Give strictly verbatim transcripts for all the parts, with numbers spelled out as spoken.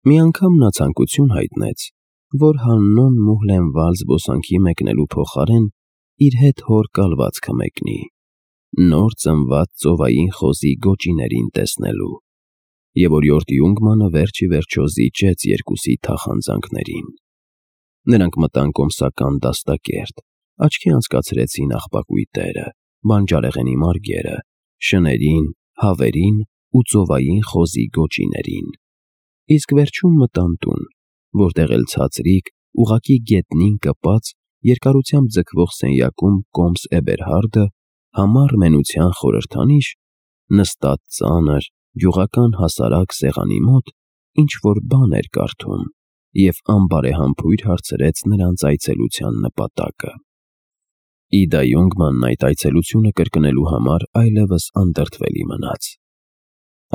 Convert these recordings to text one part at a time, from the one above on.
Մի անգամ նա ցանկություն հայտնեց, որ Հաննոն Մուհլենվալ զբոսանքի մեկնելու փոխարեն իր հետ հոր կալվածքը մեկնի, նոր ծնված ծովային խոզի գոճիներին տեսնելու, և օրիորդ Յունգմանը վերջ ի վերջո զիջեց երկուսի թախանձանքներին։ Նրանք մտան կոմսական դաստակերտ, աչքի անցկացրեցին աղբակույտերը, բանջարեղենի մարգերը, շներին, հավերին ու ծովային խոզի գոճիներին, իսկ վերջում մտան տուն, որտեղ էլ ցածրիկ, ուղղակի գետնին կպած, երկարությամբ ձգվող սենյակում Կոմս Էբերհարդը, համառ մենության խորհրդանիշ, նստած ծանր, գյուղական հասարակ սեղանի մոտ, ինչ-որ բան էր կարդում և անբարեհամբույր հարցրեց նրանց այցելության նպատակը։ Իդա Յունգմանն այդ այցելությունը կրկնելու համար այլևս անդրդվելի մնաց։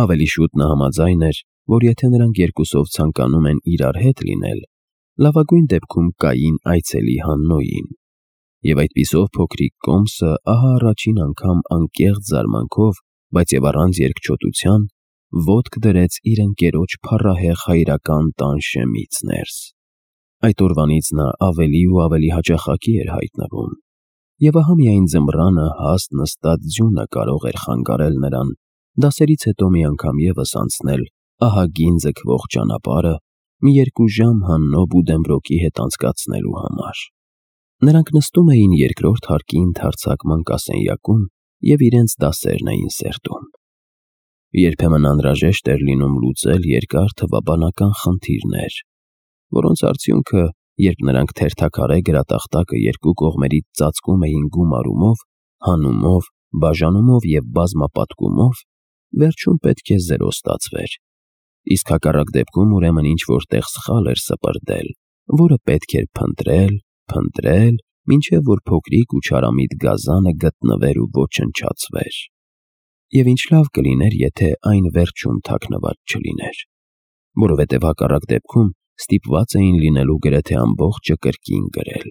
Ավելի շուտ նա համաձայն էր, որ եթե նրանք երկուսով ցանկանում են իրար հետ լինել, լավագույն դեպքում կային այցելի Հաննոյին, և այդպիսով փոքրիկ Կոմսը ահա առաջին անգամ անկեղծ զարմանքով, բայց և առանց երկչոտության, ոտք դրեց իր ընկերոջ փառահեղ հայրական տան շեմից ներս։ Այդ օրվանից նա ավելի ու ավելի հաճախակի էր հայտնվում, և ահա միայն ձմռանը հաստ նստած ձյունը կարող էր խանգարել նրան դասերից հետո մի անգամ ևս անցնել ահագին ձգվող ճանապարհը մի երկու ժամ Հաննո Բուդենբրոկի հետ անցկացնելու համար։ Նրանք նստում էին երկրորդ հարկի ընդարձակ մանկասենյակում և իրենց դասերն էին սերտում։ Երբեմն անհրաժեշտ էր լինում լուծել երկար թվաբանական խնդիրներ, որոնց արդյունքը, երբ նրանք թերթաքարե գրատախտակը երկու կողմերից ծածկում էին գումարումով, հանումով, բաժանումով և բազմապատկումով, վերջում պետք է զերո ստացվեր, իսկ հակառակ դեպքում ուրեմն ինչ-որ տեղ սխալ էր սպրդել, որը պետք էր փնտրել, փնտրել, մինչև որ փոքրիկ ու չարամիտ գազանը գտնվեր ու ոչնչացվեր։ Եվ ինչ լավ կլիներ, եթե այն վերջում թաքնված չլիներ, որովհետև հակառակ դեպքում ստիպված էին լինելու գրեթե ամբողջը կրկին գրել։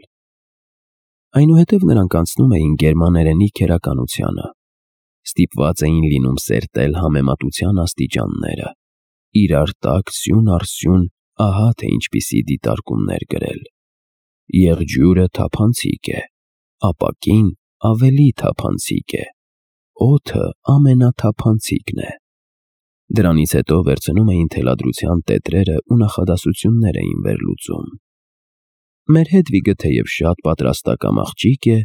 Այնուհետև նրանք անցնում էին գերմաներենի քերականությանը, ստիպված էին լինում սերտել համեմատության աստիճանները, իրար տակ սյուն առ սյուն ահա թե ինչպիսի դիտարկումներ գրել։ Եղջյուրը թափանցիկ է, ապակին ավելի թափանցիկ է, օդը ամենաթափանցիկն է։ Դրանից հետո վերցնում էին թելադրության տետրերը ու նախադասություններ էին վերլուծում։ Մեր Հեդվիգը թեև շատ պատրաստակամ աղջիկ է,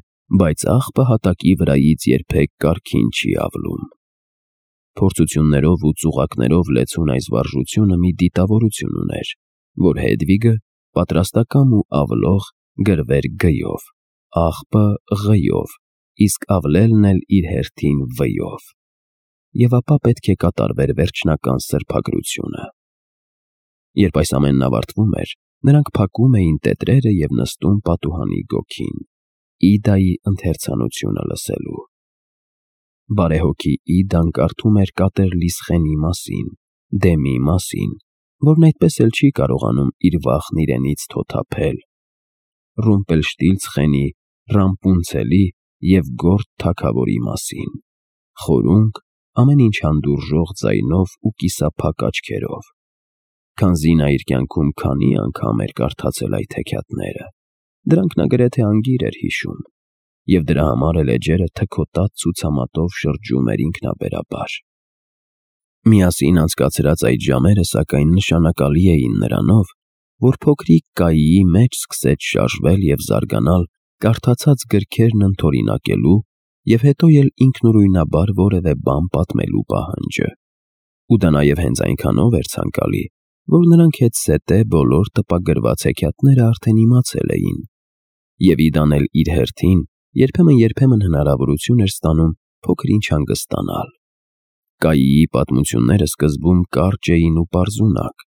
բայց աղբը հատակի վրայից երբեք կառքին չի ավլում։ Փորձություններով ու ծուղակներով լեցուն այս վարժությունը մի դիտավորություն ուներ, որ Հեդվիգը պատրաստակամ ու ավլող գրվեր գ-ով, աղբը ղ-ով, իսկ ավլելն էլ իր հերթին վ-ով, և ապա պետք է կատարվեր վերջնական սրբագրությունը։ Երբ այս ամենն ավարտվում էր, նրանք փակում էին տետրերը և նստում պատուհանի գոգին, Իդայի ընթերցանությունը լսելու։ Բարեհոգի Իդան կարդում էր Կատեր-Լիսխենի մասին, Դեմի մասին, որն այդպես էլ չի կարողանում իր վախն իրենից թոթափել, Ռումպելշտիլցխենի, Ռամպունցելի և Գորդ թագավորի մասին, խորունկ, ամեն ինչ հանդուրժող ձայնով ու կիսափակ աչքերով։ Քանզի նա իր կյանքում քանի անգամ էր կարդացել այդ հեքիաթները, դրանք նա գրեթե անգիր էր հիշում, և դրա համար էլ էջերը թքոտած ցուցամատով շրջում էր ինքնաբերաբար։ Միասին անցկացրած այդ ժամերը, սակայն, նշանակալի էին նրանով, որ փոքրիկ Կայիի մեջ սկսեց շարժվել և զարգանալ կարդացած գրքերն ընդօրինակելու և հետո էլ ինքնուրույնաբար որևէ բան պատմելու պահանջը։ Ու դա նաև հենց այնքանով էր ցանկալի, որ նրանք հետզհետե բոլոր տպագրված հեքիաթները արդեն իմացել էին, և Իդան էլ իր հերթին երբեմն-երբեմն հնարավորություն էր ստանում փոքր-ինչ հանգստանալ։ Կայիի պատմությունները սկզբում կարճ էին ու պարզունակ,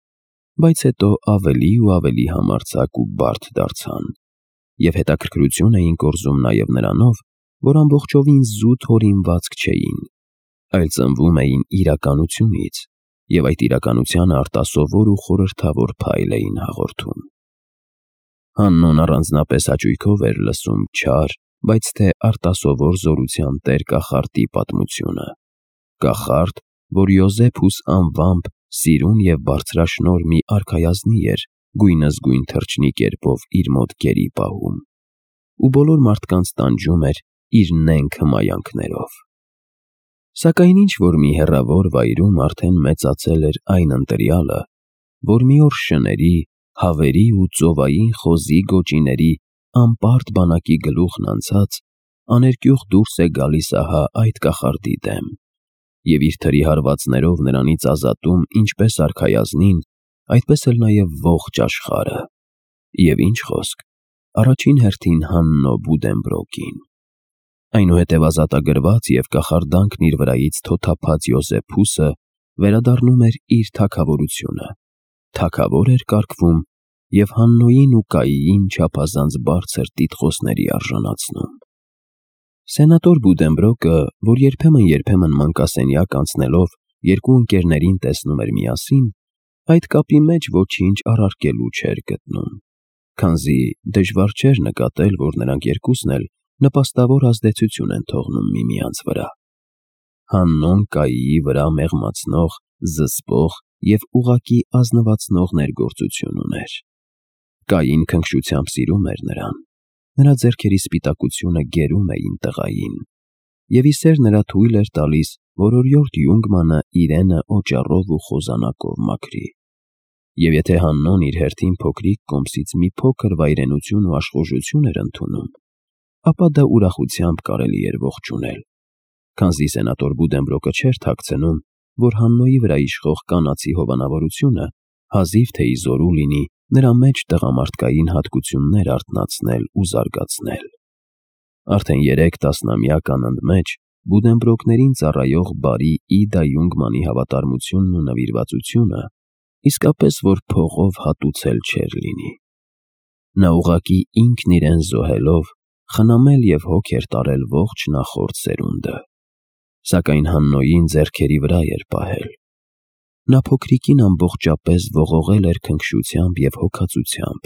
բայց հետո ավելի ու ավելի համարձակ ու բարդ դարձան, և հետաքրքրություն էին կորզում նաև նրանով, որ ամբողջովին զուտ հորինվածք չէին, այլ ծնվում էին իրականությունից, և այդ իրականությանը արտասովոր ու խորհրդավոր փայլ էին հաղորդում։ Հաննոն առանձնապես հաճույքով էր լսում չար, բայց թե արտասովոր զորության տեր կախարդի պատմությունը, կախարդ, որ Յոզեփուս անվամբ Սիրուն և բարձրաշնոր մի արքայազնի էր գույնզգույն թռչնի կերպով իր մոտ գերի պահում, ու բոլոր մարդկանց տանջում էր իր նենգ հմայանքներով։ Սակայն ինչ-որ մի հեռավոր վայրում արդեն մեծացել էր այն ընտրյալը, որ մի օր շների, հավերի ու ծովային խոզի գոճիների անպարտ բանակի գլուխն անցած աներկյուղ դուրս է գալիս ահա այդ կախարդի դեմ, և իր թրի հարվածներով նրանից ազատում ինչպես արքայազնին, այդպես էլ նաև ողջ աշխարհը, և ինչ խոսք, առաջին հերթին Հաննո Բուդենբրոկին։ Այնուհետև ազատագրված և կախարդանքն իր վրայից թոթափած Յոզեփուսը վերադառնում էր իր թագավորությունը, թագավոր էր կարգվում և Հաննոյին ու Կայիին չափազանց բարձր տիտղոսների արժանացնում։ Սենատոր Բուդենբրոկը, որ երբեմն-երբեմն մանկասենյակ անցնելով երկու ընկերներին տեսնում էր միասին, այդ կապի մեջ ոչինչ առարկելու չէր գտնում, քանզի դժվար չէր նկատել, որ նրանք երկուսն էլ նպաստավոր ազդեցություն են թողնում միմյանց վրա։ Հաննոն Կայիի վրա մեղմացնող, զսպող և ուղղակի ազնվացնող ներգործություն ուներ։ Կային քնքշությամբ սիրում էր նրան, նրա ձեռքերի սպիտակությունը գերում էին տղային, և ի սեր նրա թույլ էր տալիս, որ օրիորդ Յունգմանը իրենը օճառով ու խոզանակով մաքրի։ Եվ եթե Հաննոն իր հերթին փոքրիկ կոմսից մի փոքր վայրենություն ու աշխուժություն էր ընդունում, ապա դա ուրախությամբ կարելի էր ողջունել, քանզի սենատոր Բուդենբրոկը չէր թաքցնում, որ Հաննոյի վրա իշխող կանացի հովանավորությունը հազիվ թե ի զորու լինի նրա մեջ տղամարդկային հատկություններ արթնացնել ու զարգացնել։ Արդեն երեք տասնամյակ անընդմեջ Բուդենբրոկներին ծառայող բարի Իդա Յունգմանի հավատարմությունն ու նվիրվածությունը իսկապես որ փողով հատուցել չէր լինի։ Նա ուղղակի ինքն իրեն զոհելով խնամել և հոգ էր տարել ողջ նախորդ սերունդը, սակայն Հաննոյին ձեռքերի վրա էր պահել։ Նա փոքրիկին ամբողջապես ողողել էր քնքշությամբ և հոգածությամբ,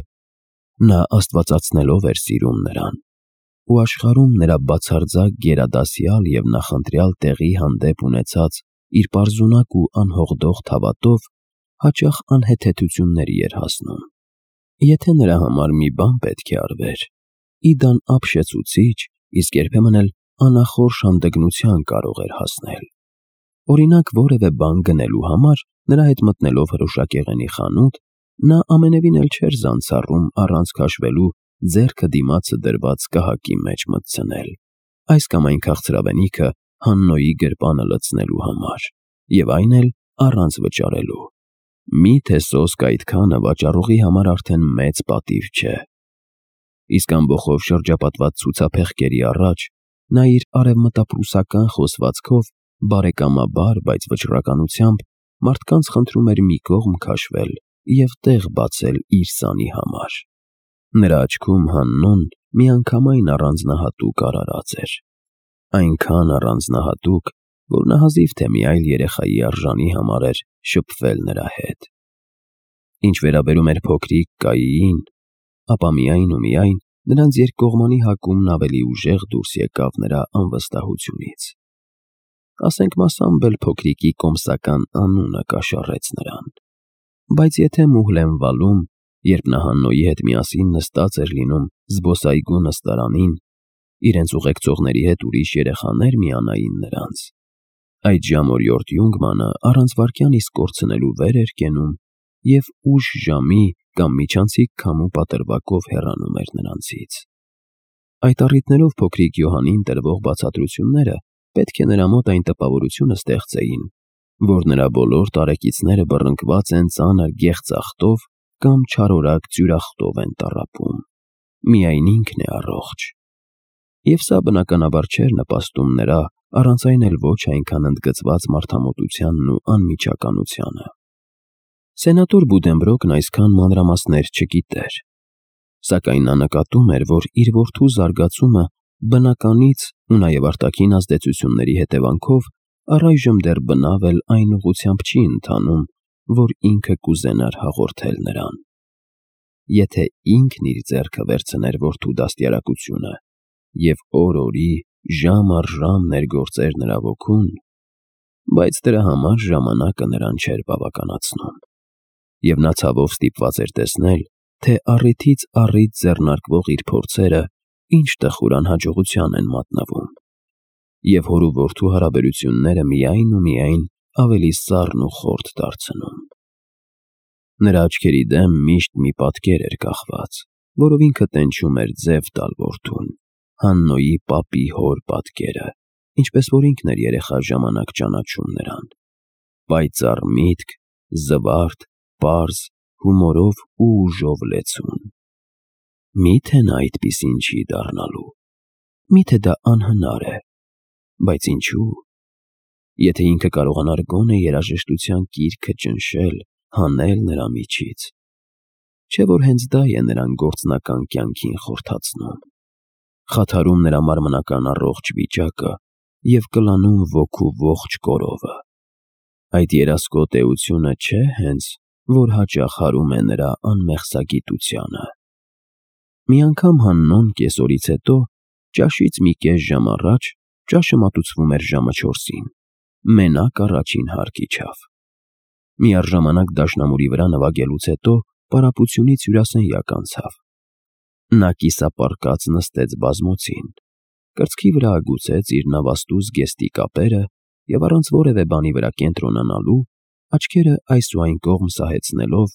նա աստվածացնելով էր սիրում նրան, ու աշխարհում նրա բացարձակ գերադասյալ և նախընտրյալ տեղի հանդեպ ունեցած իր պարզունակ ու անհողդող թավատով հաճախ անհեթեթությունների էր հասնում։ Եթե նրա համար մի բան պետք է արվեր, Իդան ապշեցուցիչ, իսկ երբեմն էլ անախորժ հանդգնության կարող էր հասնել։ Օրինակ, որևէ բան գնելու համար նրա հետ մտնելով հրուշակեղենի խանութ, նա ամենևին էլ չէր զանցառում առանց քաշվելու ձեռքը դիմացը դրված կահակի մեջ մտցնել, այս կամ այն քաղցրավենիքը Հաննոյի գրպանը լցնելու համար, և այն էլ առանց վճարելու։ Մի՞թե սոսկ այդքանը վաճառողի համար արդեն մեծ պատիվ չէ։ Իսկ ամբոխով շրջապատված ցուցափեղկերի առաջ նա իր արևմտապրուսական խոսվածքով բարեկամաբար, բայց վճռականությամբ մարդկանց խնդրում էր մի կողմ քաշվել և տեղ բացել իր սանի համար։ Նրա աչքում Հաննոն միանգամայն առանձնահատուկ արարած էր, այնքան առանձնահատուկ, որ նա հազիվ թե մի այլ երեխայի արժանի համարեր շփվել նրա հետ։ Ինչ վերաբերում էր փոքրիկ Կայիին, ապա միայն ու միայն նրանց երկկողմանի հակումն ավելի ուժեղ դուրս եկավ նրա անվստահությունից։ Ասենք մասամբ էլ փոքրիկի կոմսական անունը կաշառեց նրան։ Բայց եթե Մուհլենվալում, երբ նա Հաննոյի հետ միասին նստած էր լինում զբոսայգու նստարանին, իրենց ուղեկցողների հետ ուրիշ երեխաներ միանային նրանց, այդ ժամ օրիորդ Յունգմանը առանց վայրկյան իսկ կորցնելու վեր էր կենում և ուշ ժամի կամ միջանցիկ քամու պատրվակով հեռանում էր նրանցից։ Այդ առիթներով փոքրիկ Յոհաննին տրվող բացատրությունները պետք է նրա մոտ այն տպավորությունը ստեղծեին, որ նրա բոլոր տարեկիցները բռնկված են ծանր գեղձախտով կամ չարորակ ձյուրախտով են տառապում, միայն ինքն է առողջ։ Եվ սա բնականաբար չէր նպաստում նրա առանց այն էլ ոչ այնքան ընդգծված մարդամոտությանն ու անմիջականությանը։ Սենատոր Բուդենբրոկն այսքան մանրամասներ չգիտեր, սակայն նա նկատում էր, որ իր որդու զարգացումը բնականից ու նաև արտաքին ազդեցությունների հետևանքով առայժմ դեռ բնավ էլ այն ուղղությամբ չի ընթանում, որ ինքը կուզենար հաղորդել նրան։ Եթե ինքն իր ձեռքը վերցներ որդու դաստիարակությունը և օր օրի, ժամ առ ժամ ներգործեր նրա ոգուն, բայց դրա համար ժամանակը նրան չէր բավականացնում, և նա ցավով ստիպված էր տեսնել, թե առիթից առիթ ձեռնարկվող իր փորձերը ինչ տխուր անհաջողության են մատնվում, և հոր ու որդու հարաբերությունները միայն ու միայն ավելի սառն ու խորթ դարձնում։ Նրա աչքերի դեմ միշտ մի պատկեր էր կախված, որով ինքը տենչում էր ձև տալ որդուն, Հաննոյի պապի հոր պատկերը, ինչպես որ ինքն էր երեխա ժամանակ ճանաչում նրան, պայծառ միտք, զվարթ, պարզ, հումորով ու ուժով լեցուն։ Մի՞թե նա այդպիսին չի դառնալու, մի՞թե դա անհնար է, բայց ինչու՞։ Եթե ինքը կարողանար գոնե երաժշտության կիրքը ճնշել, հանել նրա միջից, չէ՞ որ հենց դա է նրան գործնական կյանքին խորթացնում, խաթարում նրա մարմնական առողջ վիճակը և կլանում ոգու ողջ կորովը։ Այդ երասկոտ էությունը չէ՞ հենց, որ հաճախ հարում է նրա անմեղսագիտությանը։ Մի անգամ Հաննոն կեսօրից հետո, ճաշից մի կես ժամ առաջ, ճաշը մատուցվում էր ժամը չորսին, մենակ առաջին հարկ իջավ։ Միառժամանակ դաշնամուրի վրա նվագելուց հետո պարապությունից հյուրասենյակ անցավ։ Նա կիսապառկած նստեց բազմոցին, կրծքի վրա ագուցեց իր նավաստու զգեստի կապերը և առանց որևէ բանի վրա կենտրոնանալու, աչքերը այս ու այն կողմ սահեցնելով,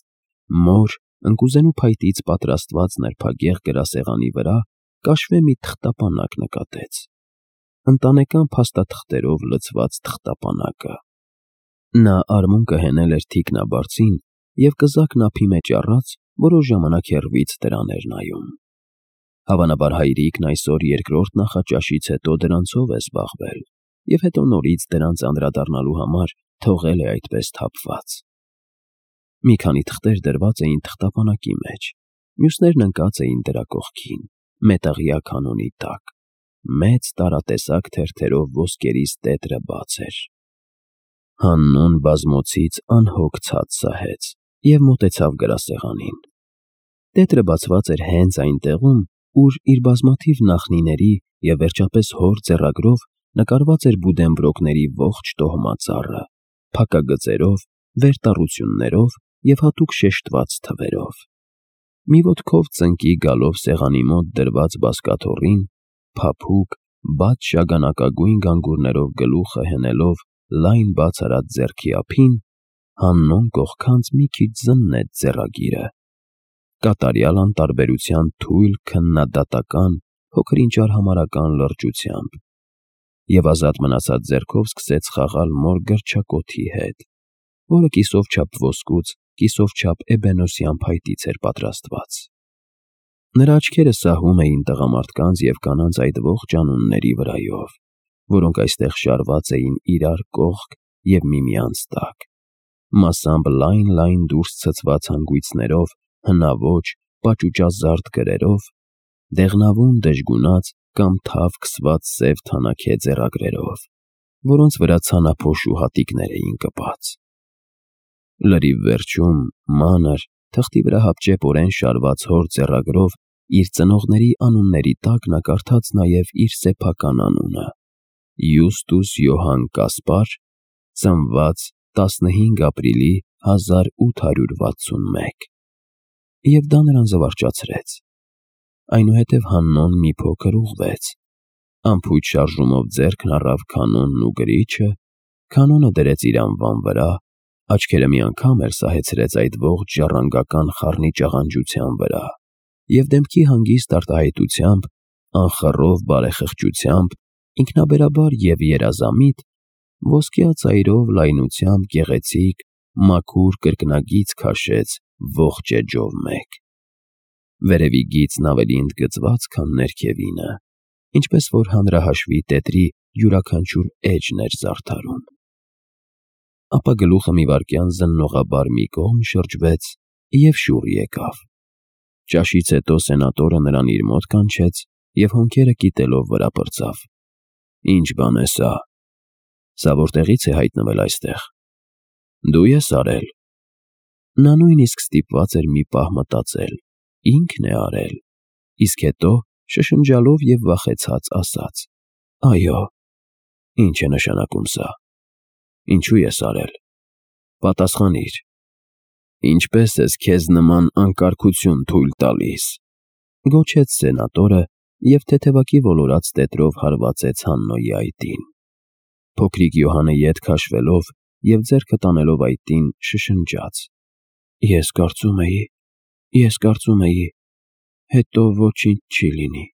մոր ընկուզենու փայտից պատրաստված նրբագեղ գրասեղանի վրա կաշվե մի թղթապանակ նկատեց, ընտանեկան փաստաթղթերով լցված թղթապանակը։ Նա արմունկը հենել էր թիկնաբարձին և կզակն ափի մեջ առած, որոշ ժամանակ հեռվից դրան էր նայում։ Հավանաբար հայրիկն այսօր երկրորդ նախաճաշից հետո դրանցով է զբաղվել և հետո նորից դրանց անդրադառնալու համար թողել է այդպես թափված։ Մի քանի թղթեր դրված էին թղթապանակի մեջ, մյուսներն ընկած էին դրա կողքին, մետաղյա կանոնի տակ, մեծ տարատեսակ թերթերով ոսկերից տետրը բաց էր։ Հաննոն բազմոցից անհոգ ցած սահեց և մոտեցավ գրասեղանին։ Տետրը բացված էր հենց այն տեղում, ուր իր բազմաթիվ նախնիների և վերջապես հոր ձեռագրով նկարված էր Բուդենբրոկների ողջ տոհմածառը, փակագծերով, վերտառություններով և հատուկ շեշտված թվերով։ Մի ոտքով ծնկի գալով սեղանի մոտ դրված բազկաթոռին, փափուկ, բաց շագանակագույն գանգուրներով գլուխը հենելով լայն բաց արած ձեռքի ափին, Հաննոն կողքանց մի քիչ զննեց ձեռագիրը, կատարյալ անտարբերության թույլ քննադատական, փոքր-ինչ արհամարհական լրջությամբ, և ազատ մնացած ձեռքով սկսեց խաղալ մոր գրչակոթի հետ, որը կիսով չափ ոսկուց, կիսով չափ էբենոսյան փայտից էր պատրաստված։ Նրա աչքերը սահում էին տղամարդկանց և կանանց այդ ողջ անունների վրայով, որոնք այստեղ շարված էին իրար կողք և միմյանց տակ, մասամբ լայն-լայն դուրս ցցված հանգույցներով, հնաոճ, պաճուճազարդ գրերով, դեղնավուն դժգունած կամ թավ քսված սև թանաքե ձեռագրերով, որոնց վրա ցանափոշու հատիկներ էին կպած։ Լրիվ վերջում, մանր, թղթի վրա հապճեպորեն շարված հոր ձեռագրով իր ծնողների անունների տակ նա կարդաց նաև իր սեփական անունը՝ Յուստուս Յոհան Կասպար, ծնված տասնհինգ ապրիլի հազար ութ հարյուր վաթսունմեկ, և դա նրան զվարճացրեց։ Այնուհետև Հաննոն մի փոքր ուղղվեց, անփույթ շարժումով ձեռքն առավ կանոնն ու գրիչը, կանոնը դրեց իր անվան վրա, աչքերը մի անգամ էլ սահեցրեց այդ ողջ ժառանգական խառնի ճաղանջության վրա և դեմքի հանգիստ արտահայտությամբ, անխռով բարեխղճությամբ, ինքնաբերաբար և երազամիտ, ոսկյա ծայրով լայնությամբ գեղեցիկ, մաքուր կրկնագիծ քաշեց ողջ էջով մեկ։ Վերևի գիծն ավելի ընդգծված, քան ներքևինը, ինչպես որ հանրահաշվի տետրի յուրաքանչյուր էջն էր զարդարում։ Ապա գլուխը մի վայրկյան զննողաբար մի կողմ շրջվեց և շուռ եկավ։ Ճաշից հետո սենատորը նրան իր մոտ կանչեց և հոնքերը կիտելով վրա պրծավ. «Ի՞նչ բան է սա։ Սա որտեղի՞ց է հայտնվել այստեղ։ Դու ե՞ս արել»։ Նա նույնիսկ ստիպված էր մի պահ մտածել՝ ի՞նքն է արել, իսկ հետո, շշնջալով և վախեցած, ասաց. «Այո»։ Ի՞նչ է նշանակում սա։ Ինչու ես արել։ Պատասխանիր։ Ինչպե՞ս ես քեզ նման անկարգություն թույլ տալիս, գոչեց սենատորը և թեթևակի ոլորած տետրով հարվածեց Հաննոյի այտին։ Փոքրիկ Յոհանը ետ քաշվելով և ձեռքը տանելով այտին, շշնջաց. Ես կարծում էի, ես կարծում էի, հետո ոչինչ չի լինի։